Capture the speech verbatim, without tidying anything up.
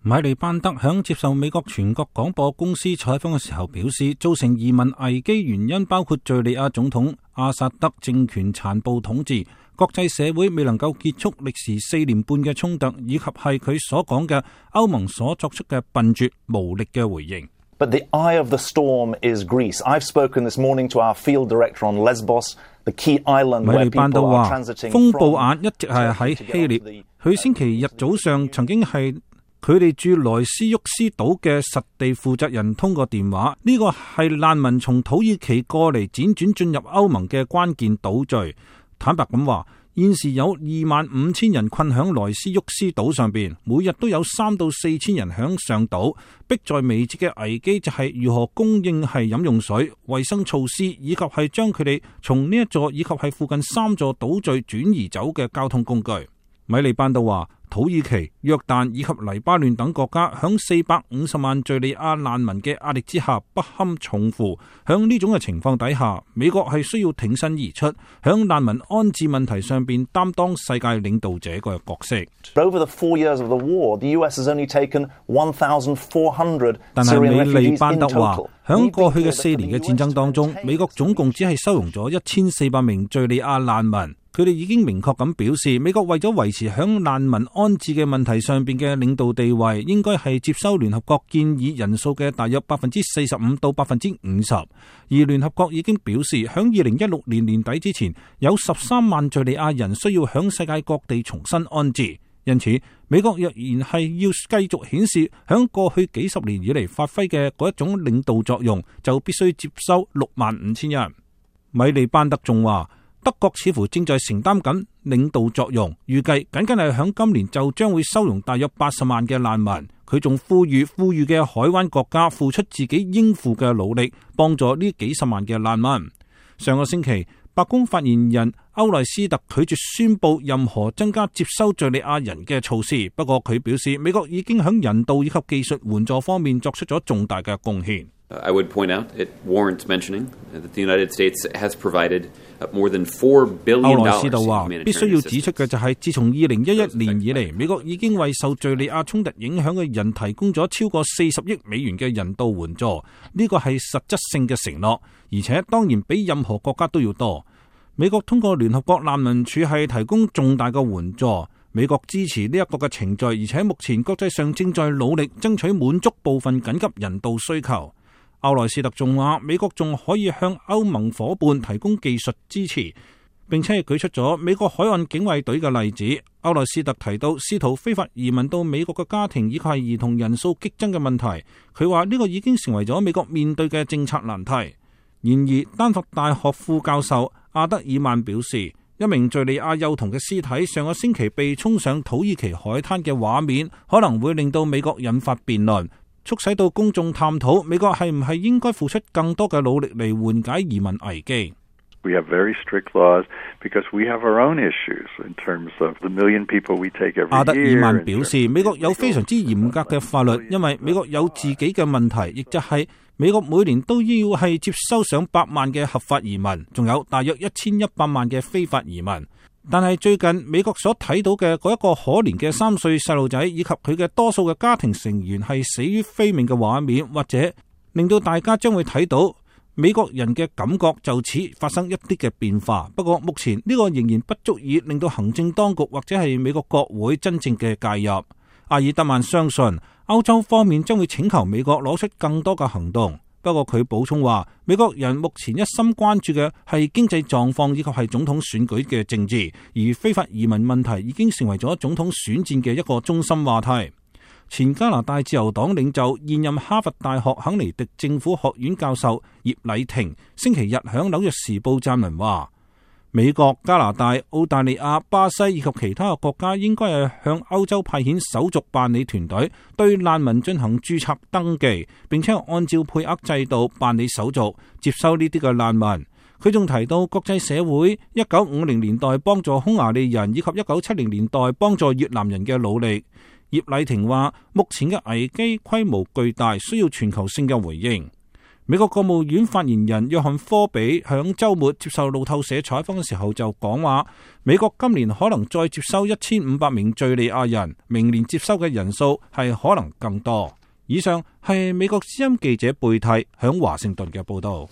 米利班德響接受美國全國廣播公司採訪嘅時候表示，造成移民危機原因包括敘利亞總統阿薩德政權殘暴統治、國際社會未能夠結束歷時四年半嘅衝突，以及係佢所講嘅歐盟所作出嘅笨拙無力嘅回應。But the eye of the storm is Greece. I've spoken this morning to our field director on Lesbos, the key island where people are transiting from. 風暴眼一直係喺希臘，佢星期日早上曾經係佢哋駐萊斯沃斯島嘅實地負責人通過電話，呢個係難民從土耳其過嚟輾轉進入歐盟嘅關鍵島嶼。坦白咁話，現時有二萬五千人困響萊斯沃斯島上邊，每日都有三到四千人響上島，迫在眉睫嘅危機就係如何供應係飲用水、衛生措施，以及係將佢哋從呢一座以及係附近三座島嶼轉移走嘅交通工具。米利班德話，土耳其、約旦以及黎巴嫩等國家響四百五十萬敘利亞難民嘅壓力之下不堪重負。響呢種嘅情況底下，美國係需要挺身而出，響難民安置問題上邊擔當世界領導者嘅角色。Over the four years of the war, the U S has only taken one thousand four hundred. 但係米利班德話，響過去嘅四年嘅戰爭當中，美國總共只係收容咗一千四百名敘利亞難民。佢哋已經明確咁表示，美國為咗維持響難民安置嘅問題上邊嘅領導地位，應該係接收聯合國建議人數嘅大約百分之四十五到百分之五十。而聯合國已經表示，響二零一六年年底之前，有十三萬敘利亞人需要響世界各地重新安置。因此，美國若然係要繼續顯示響過去幾十年以嚟發揮嘅嗰一種領導作用，就必須接收六萬五千人。米利班德仲話，德國似乎正在承擔緊領導作用，預計僅僅係響今年就將會收容大約八十萬嘅難民。佢仲呼籲富裕嘅海灣國家付出自己應付嘅努力，幫助呢幾十萬嘅難民。上個星期，白宮發言人歐萊斯特拒絕宣布任何增加接收敘利亞人嘅措施，不過佢表示美國已經響人道以及技術援助方面作出咗重大嘅貢獻。I would point out, it warrants mentioning that the United States has provided more than four billion dollars. 歐萊斯特話，必須要指出嘅就係，自從二零一一年以嚟，美國已經為受敘利亞衝突影響嘅人提供咗超過四十億美元嘅人道援助，呢個係實質性嘅承諾，而且當然比任何國家都要多。美國通過聯合國難民署係提供重大嘅援助。美國支持呢一個嘅程序，而且目前國際上正在努力爭取滿足部分緊急人道需求。歐萊斯特仲話，美國仲可以向歐盟夥伴提供技術支持，並且係舉出咗美國海岸警衛隊嘅例子。歐萊斯特提到，試圖非法移民到美國嘅家庭以及係兒童人數激增嘅問題，佢話呢個已經成為咗美國面對嘅政策難題。然而，丹佛大學副教授阿德爾曼表示，一名敘利亞幼童嘅屍體上個星期被沖上土耳其海灘嘅畫面，可能會令到美國引發辯論，促使到公眾探討美國係唔係應該付出更多嘅努力嚟緩解移民危機。We have very strict laws because we have our own issues in terms of the million people we take every year. 阿德爾曼表示，美國有非常之嚴格嘅法律，因為美國有自己嘅問題，亦就係美國每年都要係接收上百萬嘅合法移民，仲有大約一千一百萬嘅非法移民。但係最近美國所睇到嘅嗰一個可憐嘅三歲細路仔，以及佢嘅多數嘅家庭成員係死於非命嘅畫面，或者令到大家將會睇到美國人嘅感覺就此發生一啲嘅變化。不過目前呢個仍然不足以令到行政當局或者係美國國會真正嘅介入。阿爾德曼相信歐洲方面將會請求美國攞出更多嘅行動。不過佢補充話，美國人目前一心關注嘅係經濟狀況以及係總統選舉嘅政治，而非法移民問題已經成為咗總統選戰嘅一個中心話題。前加拿大自由黨領袖、現任哈佛大學肯尼迪政府學院教授葉禮霆星期日響紐約時報撰文話，美國、加拿大、澳大利亞、巴西以及其他嘅國家應該係向歐洲派遣手續辦理團隊，對難民進行註冊登記，並且按照配額制度辦理手續，接收呢啲嘅難民。佢仲提到國際社會一九五零年代幫助匈牙利人以及一九七零年代幫助越南人嘅努力。葉禮霆話，目前嘅危機規模巨大，需要全球性嘅回應。美國國務院發言人約翰科比響週末接受路透社採訪嘅時候就講話，美國今年可能再接收一千五百名敘利亞人，明年接收嘅人數係可能更多。以上係美國之音記者貝蒂響華盛頓嘅報道。